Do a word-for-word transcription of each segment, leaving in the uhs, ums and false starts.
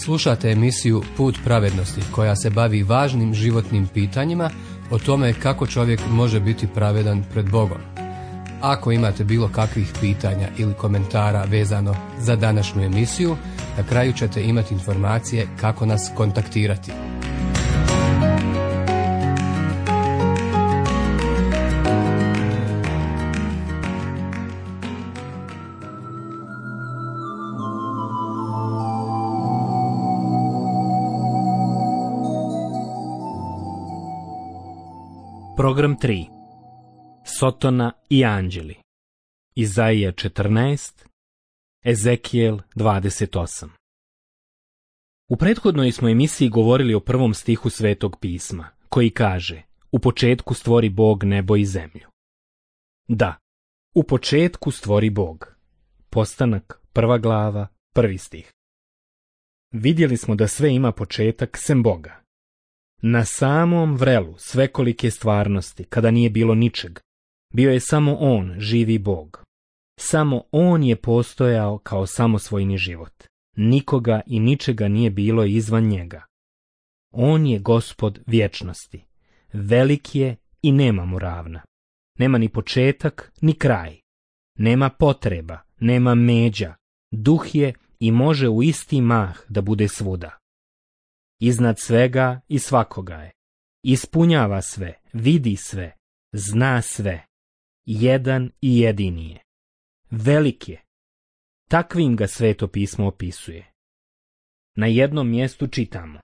Slušate emisiju Put pravednosti koja se bavi važnim životnim pitanjima o tome kako čovjek može biti pravedan pred Bogom. Ako imate bilo kakvih pitanja ili komentara vezano za današnju emisiju, na kraju ćete imati informacije kako nas kontaktirati. Program tri. Sotona i anđeli. Izaija četrnaest, Ezekijel dvadeset osam. U prethodnoj smo emisiji govorili o prvom stihu Svetog pisma, koji kaže: U početku stvori Bog nebo i zemlju. Da, u početku stvori Bog. Postanak, prva glava, prvi stih. Vidjeli smo da sve ima početak sem Boga. Na samom vrelu svekolike stvarnosti, kada nije bilo ničeg, bio je samo On, živi Bog. Samo On je postojao kao samosvojni život. Nikoga i ničega nije bilo izvan njega. On je Gospod vječnosti. Velik je i nema mu ravna. Nema ni početak, ni kraj. Nema potreba, nema međa. Duh je i može u isti mah da bude svuda. Iznad svega i svakoga je. Ispunjava sve, vidi sve, zna sve. Jedan i jedini je. Velik je. Takvim ga Sveto pismo opisuje. Na jednom mjestu čitamo: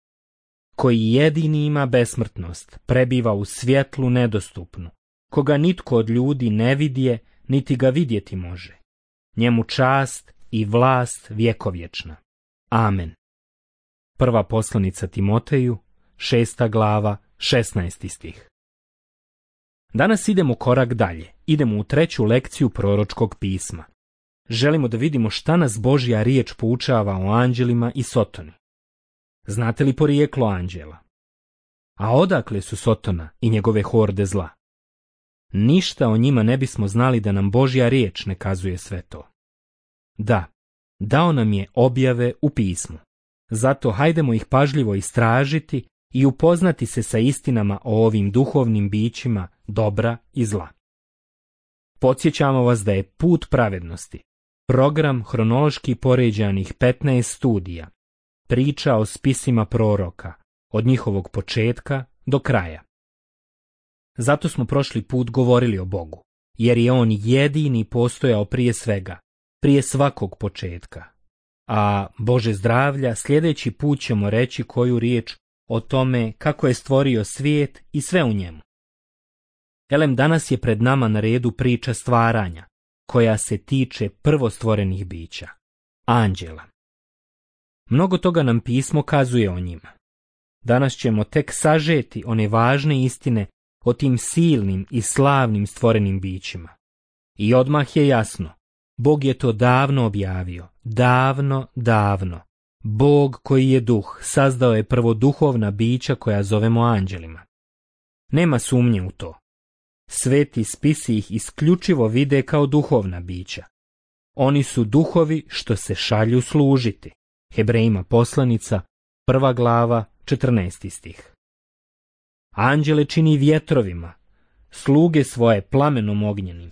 Koji jedini ima besmrtnost, prebiva u svjetlu nedostupnu, koga nitko od ljudi ne vidje, niti ga vidjeti može. Njemu čast i vlast vjekovječna. Amen. Prva poslanica Timoteju, šesta glava, šesnaesti stih. Danas idemo korak dalje. Idemo u treću lekciju proročkog pisma. Želimo da vidimo šta nas Božja riječ poučava o anđelima i Sotoni. Znate li porijeklo anđela? A odakle su Sotona i njegove horde zla? Ništa o njima ne bismo znali da nam Božja riječ ne kazuje sve to. Da, dao nam je objave u pismu. Zato hajdemo ih pažljivo istražiti i upoznati se sa istinama o ovim duhovnim bićima dobra i zla. Podsjećamo vas da je Put pravednosti program hronološki poređanih petnaest studija, priča o spisima proroka, od njihovog početka do kraja. Zato smo prošli put govorili o Bogu, jer je On jedini postojao prije svega, prije svakog početka. A Bože zdravlja, sljedeći put ćemo reći koju riječ o tome kako je stvorio svijet i sve u njemu. Elem, danas je pred nama na redu priča stvaranja, koja se tiče prvostvorenih bića, anđela. Mnogo toga nam pismo kazuje o njima. Danas ćemo tek sažeti one važne istine o tim silnim i slavnim stvorenim bićima. I odmah je jasno, Bog je to davno objavio, davno, davno. Bog koji je duh sazdao je prvo duhovna bića koja zovemo anđelima. Nema sumnje u to. Sveti spisi ih isključivo vide kao duhovna bića. Oni su duhovi što se šalju služiti. Hebrejima poslanica, prva glava, četrnaesti stih. Anđele čini vjetrovima, sluge svoje plamenom ognjenim.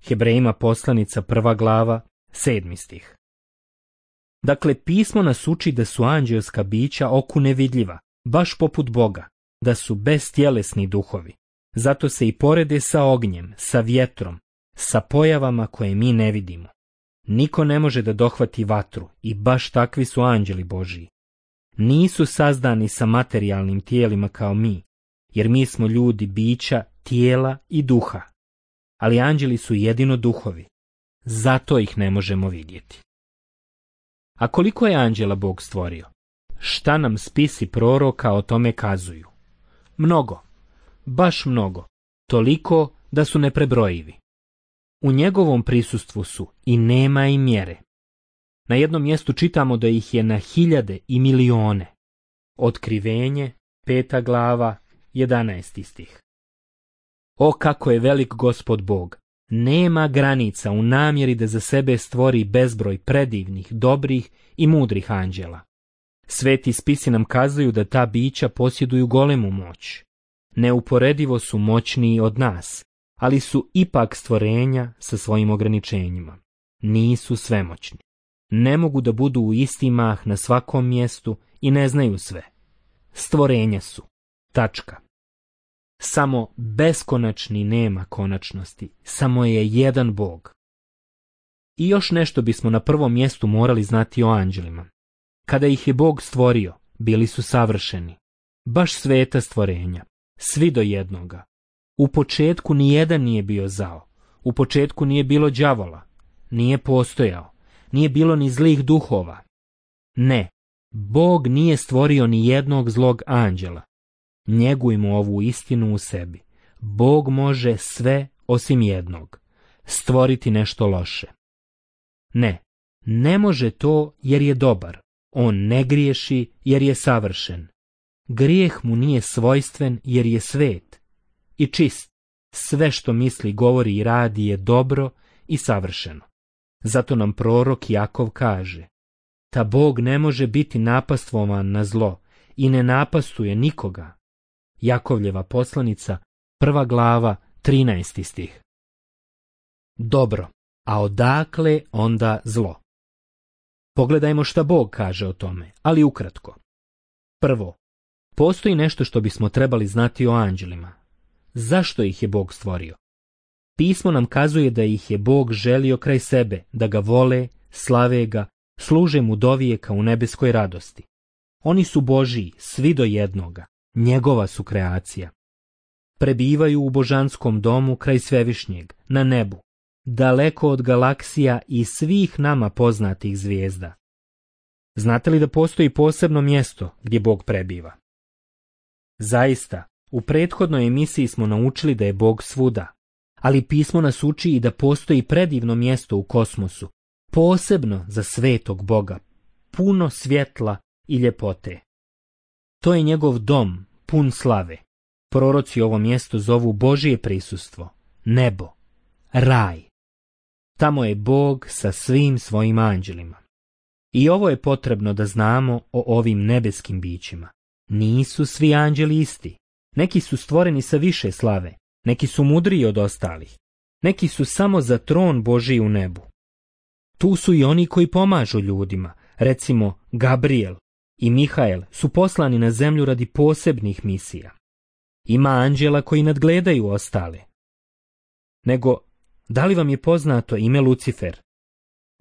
Hebrejima poslanica, prva glava, sedmi stih. Dakle, pismo nas uči da su anđelska bića oku nevidljiva, baš poput Boga, da su bestjelesni duhovi. Zato se i porede sa ognjem, sa vjetrom, sa pojavama koje mi ne vidimo. Niko ne može da dohvati vatru i baš takvi su anđeli Božiji. Nisu sazdani sa materijalnim tijelima kao mi, jer mi smo ljudi bića, tijela i duha. Ali anđeli su jedino duhovi, zato ih ne možemo vidjeti. A koliko je anđela Bog stvorio? Šta nam spisi proroka o tome kazuju? Mnogo, baš mnogo, toliko da su neprebrojivi. U njegovom prisustvu su i nema i mjere. Na jednom mjestu čitamo da ih je na hiljade i milione. Otkrivenje, peta glava, jedanaesti stih. O, kako je velik Gospod Bog! Nema granica u namjeri da za sebe stvori bezbroj predivnih, dobrih i mudrih anđela. Sveti spisi nam kazuju da ta bića posjeduju golemu moć. Neuporedivo su moćniji od nas, ali su ipak stvorenja sa svojim ograničenjima. Nisu svemoćni. Ne mogu da budu u isti mah na svakom mjestu i ne znaju sve. Stvorenja su. Tačka. Samo beskonačni nema konačnosti. Samo je jedan Bog. I još nešto bismo na prvom mjestu morali znati o anđelima. Kada ih je Bog stvorio, bili su savršeni. Baš sveta stvorenja. Svi do jednoga. U početku nijedan nije bio zao. U početku nije bilo đavola. Nije postojao. Nije bilo ni zlih duhova. Ne, Bog nije stvorio ni jednog zlog anđela. Njegujmo ovu istinu u sebi. Bog može sve osim jednog. Stvoriti nešto loše. Ne, ne može to jer je dobar. On ne griješi jer je savršen. Grijeh mu nije svojstven jer je svet i čist. Sve što misli, govori i radi je dobro i savršeno. Zato nam prorok Jakov kaže: ta Bog ne može biti napastvovan na zlo i ne napastuje nikoga. Jakovljeva poslanica, prva glava, trinaesti stih. Dobro, a odakle onda zlo? Pogledajmo šta Bog kaže o tome, ali ukratko. Prvo, postoji nešto što bismo trebali znati o anđelima. Zašto ih je Bog stvorio? Pismo nam kazuje da ih je Bog želio kraj sebe, da ga vole, slave ga, služe mu dovijeka u nebeskoj radosti. Oni su Božiji, svi do jednoga, njegova su kreacija. Prebivaju u božanskom domu kraj svevišnjeg, na nebu, daleko od galaksija i svih nama poznatih zvijezda. Znate li da postoji posebno mjesto gdje Bog prebiva? Zaista, u prethodnoj emisiji smo naučili da je Bog svuda, ali pismo nas uči i da postoji predivno mjesto u kosmosu, posebno za svetog Boga, puno svjetla i ljepote. To je njegov dom, pun slave. Proroci ovo mjesto zovu Božije prisustvo, nebo, raj. Tamo je Bog sa svim svojim anđelima. I ovo je potrebno da znamo o ovim nebeskim bićima. Nisu svi anđeli isti. Neki su stvoreni sa više slave, neki su mudriji od ostalih, neki su samo za tron Božiji u nebu. Tu su i oni koji pomažu ljudima, recimo Gabriel i Mihael su poslani na zemlju radi posebnih misija. Ima anđela koji nadgledaju ostale. Nego, da li vam je poznato ime Lucifer?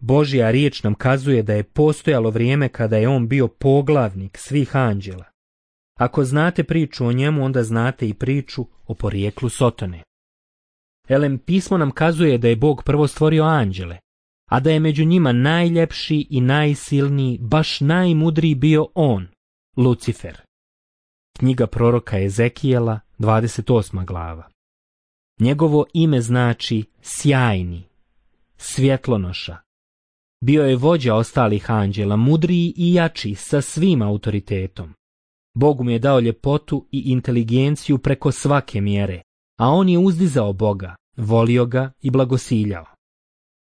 Božja riječ nam kazuje da je postojalo vrijeme kada je on bio poglavnik svih anđela. Ako znate priču o njemu, onda znate i priču o porijeklu Sotone. Elem, pismo nam kazuje da je Bog prvo stvorio anđele, a da je među njima najljepši i najsilniji, baš najmudriji bio on, Lucifer. Knjiga proroka Ezekijela, dvadeset osma glava. Njegovo ime znači sjajni, svjetlonoša. Bio je vođa ostalih anđela, mudriji i jači sa svim autoritetom. Bog mu je dao ljepotu i inteligenciju preko svake mjere, a on je uzdizao Boga, volio ga i blagosiljao.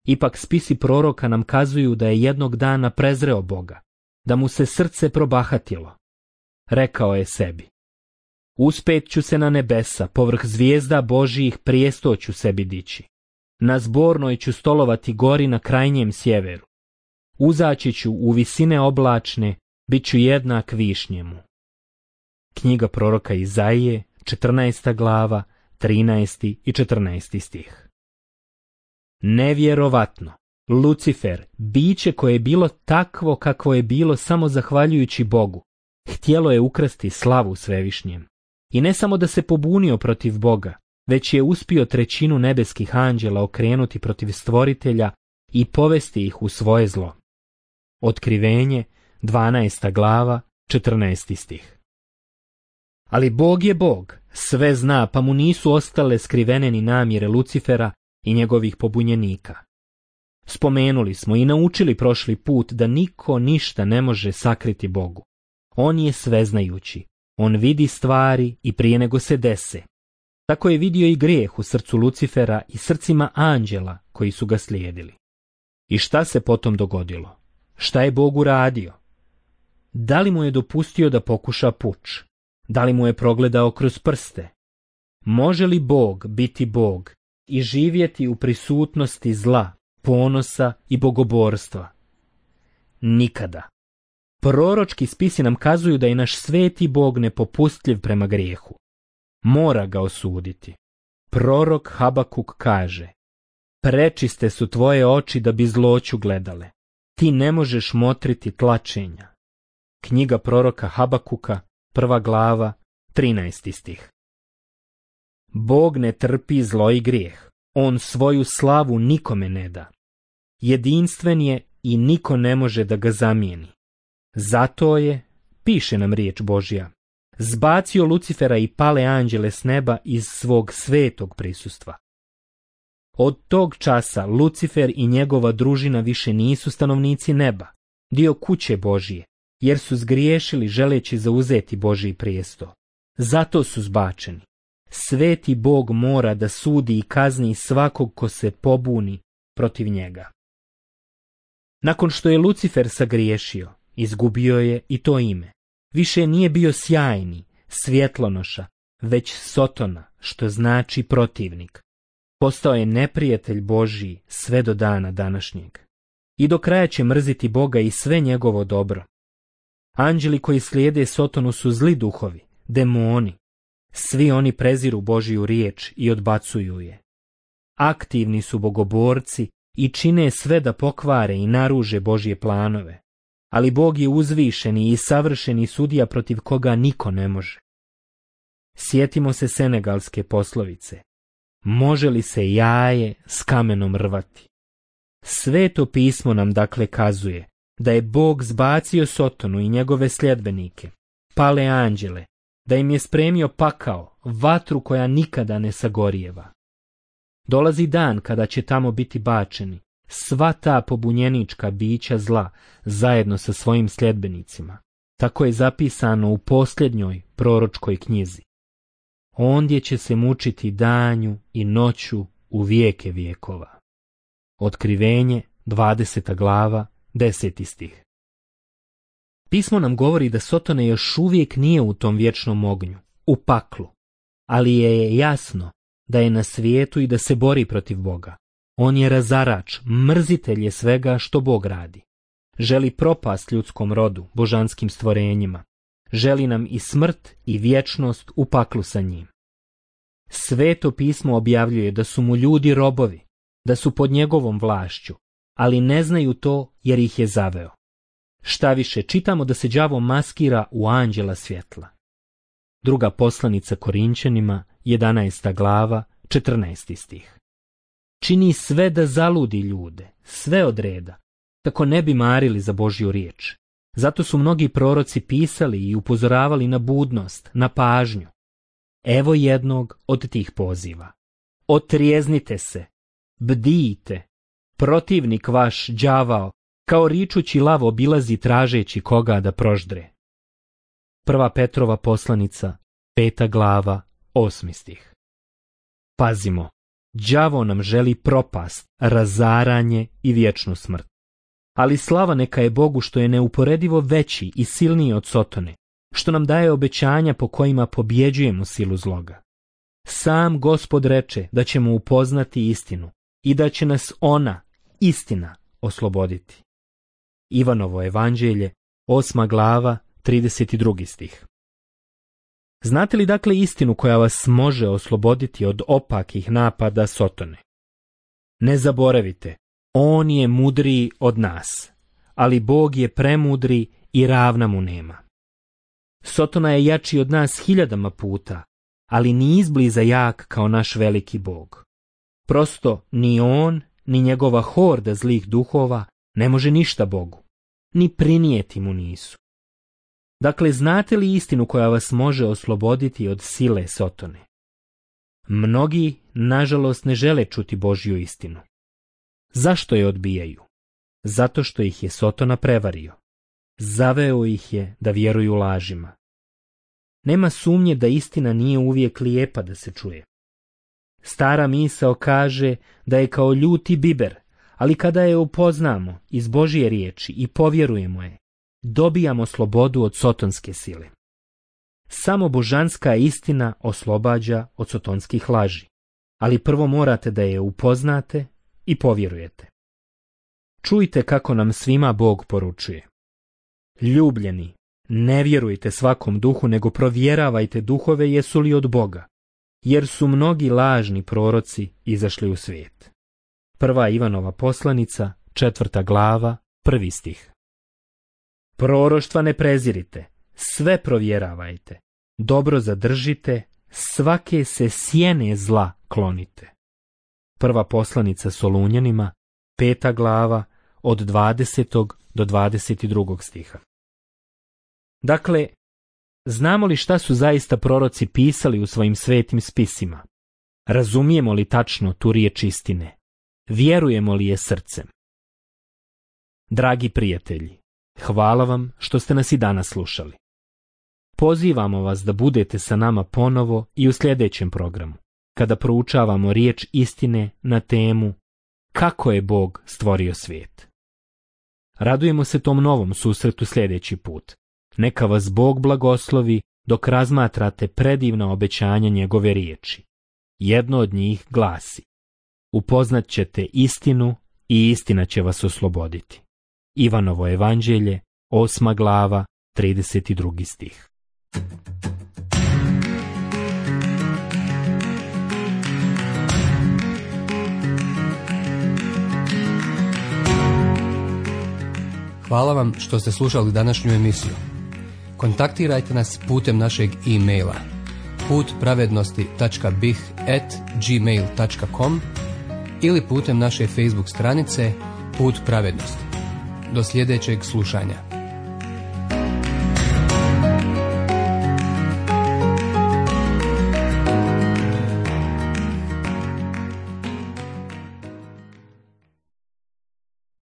Ipak spisi proroka nam kazuju da je jednog dana prezreo Boga, da mu se srce probahatilo. Rekao je sebi: uspet ću se na nebesa, povrh zvijezda Božijih prijesto ću sebi dići. Na zbornoj ću stolovati gori na krajnjem sjeveru. Uzaći ću u visine oblačne, bit ću jednak višnjemu. Knjiga proroka Izaije, četrnaesta glava, trinaesti i četrnaesti stih. Nevjerovatno, Lucifer, biće koje je bilo takvo kakvo je bilo samo zahvaljujući Bogu, htjelo je ukrasti slavu svevišnjem. I ne samo da se pobunio protiv Boga, već je uspio trećinu nebeskih anđela okrenuti protiv stvoritelja i povesti ih u svoje zlo. Otkrivenje, dvanaesta glava, četrnaesti stih. Ali Bog je Bog, sve zna, pa mu nisu ostale skrivene ni namjere Lucifera i njegovih pobunjenika. Spomenuli smo i naučili prošli put da niko ništa ne može sakriti Bogu. On je sveznajući, on vidi stvari i prije nego se dese. Tako je vidio i grijeh u srcu Lucifera i srcima anđela koji su ga slijedili. I šta se potom dogodilo? Šta je Bog uradio? Da li mu je dopustio da pokuša puč? Da li mu je progledao kroz prste? Može li Bog biti Bog i živjeti u prisutnosti zla, ponosa i bogoborstva? Nikada. Proročki spisi nam kazuju da je naš sveti Bog nepopustljiv prema grijehu. Mora ga osuditi. Prorok Habakuk kaže: prečiste su tvoje oči da bi zloću gledale. Ti ne možeš motriti tlačenja. Knjiga proroka Habakuka, prva glava, trinaesti stih. Bog ne trpi zlo i grijeh. On svoju slavu nikome ne da. Jedinstven je i niko ne može da ga zamijeni. Zato je, piše nam riječ Božja, zbacio Lucifera i pale anđele s neba iz svog svetog prisustva. Od tog časa Lucifer i njegova družina više nisu stanovnici neba, dio kuće Božije, jer su zgriješili želeći zauzeti Božji prijesto. Zato su zbačeni. Sveti Bog mora da sudi i kazni svakog ko se pobuni protiv njega. Nakon što je Lucifer sagriješio, izgubio je i to ime. Više nije bio sjajni, svjetlonoša, već Sotona, što znači protivnik. Postao je neprijatelj Božji sve do dana današnjeg. I do kraja će mrziti Boga i sve njegovo dobro. Anđeli koji slijede Sotonu su zli duhovi, demoni. Svi oni preziru Božju riječ i odbacuju je. Aktivni su bogoborci i čine sve da pokvare i naruže Božje planove. Ali Bog je uzvišeni i savršeni sudija protiv koga niko ne može. Sjetimo se senegalske poslovice: može li se jaje s kamenom rvati? Sveto pismo nam dakle kazuje da je Bog zbacio Sotonu i njegove sljedbenike, pale anđele, da im je spremio pakao, vatru koja nikada ne sagorijeva. Dolazi dan kada će tamo biti bačeni sva ta pobunjenička bića zla zajedno sa svojim sljedbenicima. Tako je zapisano u posljednjoj proročkoj knjizi. Ondje će se mučiti danju i noću u vijeke vijekova. Otkrivenje, dvadeseta glava, deseti stih. Pismo nam govori da Sotone još uvijek nije u tom vječnom ognju, u paklu, ali je jasno da je na svijetu i da se bori protiv Boga. On je razarač, mrzitelj je svega što Bog radi. Želi propast ljudskom rodu, božanskim stvorenjima. Želi nam i smrt i vječnost u paklu sa njim. Sveto pismo objavljuje da su mu ljudi robovi, da su pod njegovom vlašću, ali ne znaju to jer ih je zaveo. Šta više, čitamo da se đavo maskira u anđela svjetla. Druga poslanica Korinćanima, jedanaesta glava, četrnaesti stih. Čini sve da zaludi ljude, sve od reda, kako ne bi marili za Božju riječ. Zato su mnogi proroci pisali i upozoravali na budnost, na pažnju. Evo jednog od tih poziva. Otrijeznite se, bdijte, protivnik vaš đavao, kao ričući lav obilazi tražeći koga da proždre. Prva Petrova poslanica, peta glava, osmi stih. Pazimo, đavo nam želi propast, razaranje i vječnu smrt. Ali slava neka je Bogu što je neuporedivo veći i silniji od Sotone, što nam daje obećanja po kojima pobjeđujemo silu zloga. Sam Gospod reče da ćemo upoznati istinu i da će nas ona, istina, osloboditi. Ivanovo evanđelje, osma glava, trideset drugi stih. Znate li dakle istinu koja vas može osloboditi od opakih napada Sotone? Ne zaboravite, on je mudriji od nas, ali Bog je premudri i ravna mu nema. Sotona je jači od nas hiljadama puta, ali ni izbliza jak kao naš veliki Bog. Prosto ni on, ni njegova horda zlih duhova ne može ništa Bogu, ni prinijeti mu nisu. Dakle, znate li istinu koja vas može osloboditi od sile Sotone? Mnogi, nažalost, ne žele čuti Božju istinu. Zašto je odbijaju? Zato što ih je Sotona prevario. Zaveo ih je da vjeruju lažima. Nema sumnje da istina nije uvijek lijepa da se čuje. Stara misao kaže da je kao ljuti biber, ali kada je upoznamo iz Božje riječi i povjerujemo je, dobijamo slobodu od sotonske sile. Samo božanska istina oslobađa od sotonskih laži, ali prvo morate da je upoznate i povjerujete. Čujte kako nam svima Bog poručuje. Ljubljeni, ne vjerujte svakom duhu, nego provjeravajte duhove jesu li od Boga, jer su mnogi lažni proroci izašli u svijet. Prva Ivanova poslanica, četvrta glava, prvi stih. Proroštva ne prezirite, sve provjeravajte, dobro zadržite, svake se sjene zla klonite. Prva poslanica Solunjanima, peta glava, od dvadesetog do dvadeset drugog stiha. Dakle, znamo li šta su zaista proroci pisali u svojim svetim spisima? Razumijemo li tačno tu riječ istine? Vjerujemo li je srcem? Dragi prijatelji, hvala vam što ste nas i danas slušali. Pozivamo vas da budete sa nama ponovo i u sljedećem programu, kada proučavamo riječ istine na temu kako je Bog stvorio svijet. Radujemo se tom novom susretu sljedeći put. Neka vas Bog blagoslovi dok razmatrate predivna obećanja njegove riječi. Jedno od njih glasi: upoznat ćete istinu i istina će vas osloboditi. Ivanovo evanđelje, osma glava, trideset drugi stih. Hvala vam što ste slušali današnju emisiju. Kontaktirajte nas putem našeg e-maila put pravednosti tačka b i h at gmail tačka com ili putem naše Facebook stranice Put pravednosti. Do sljedećeg slušanja.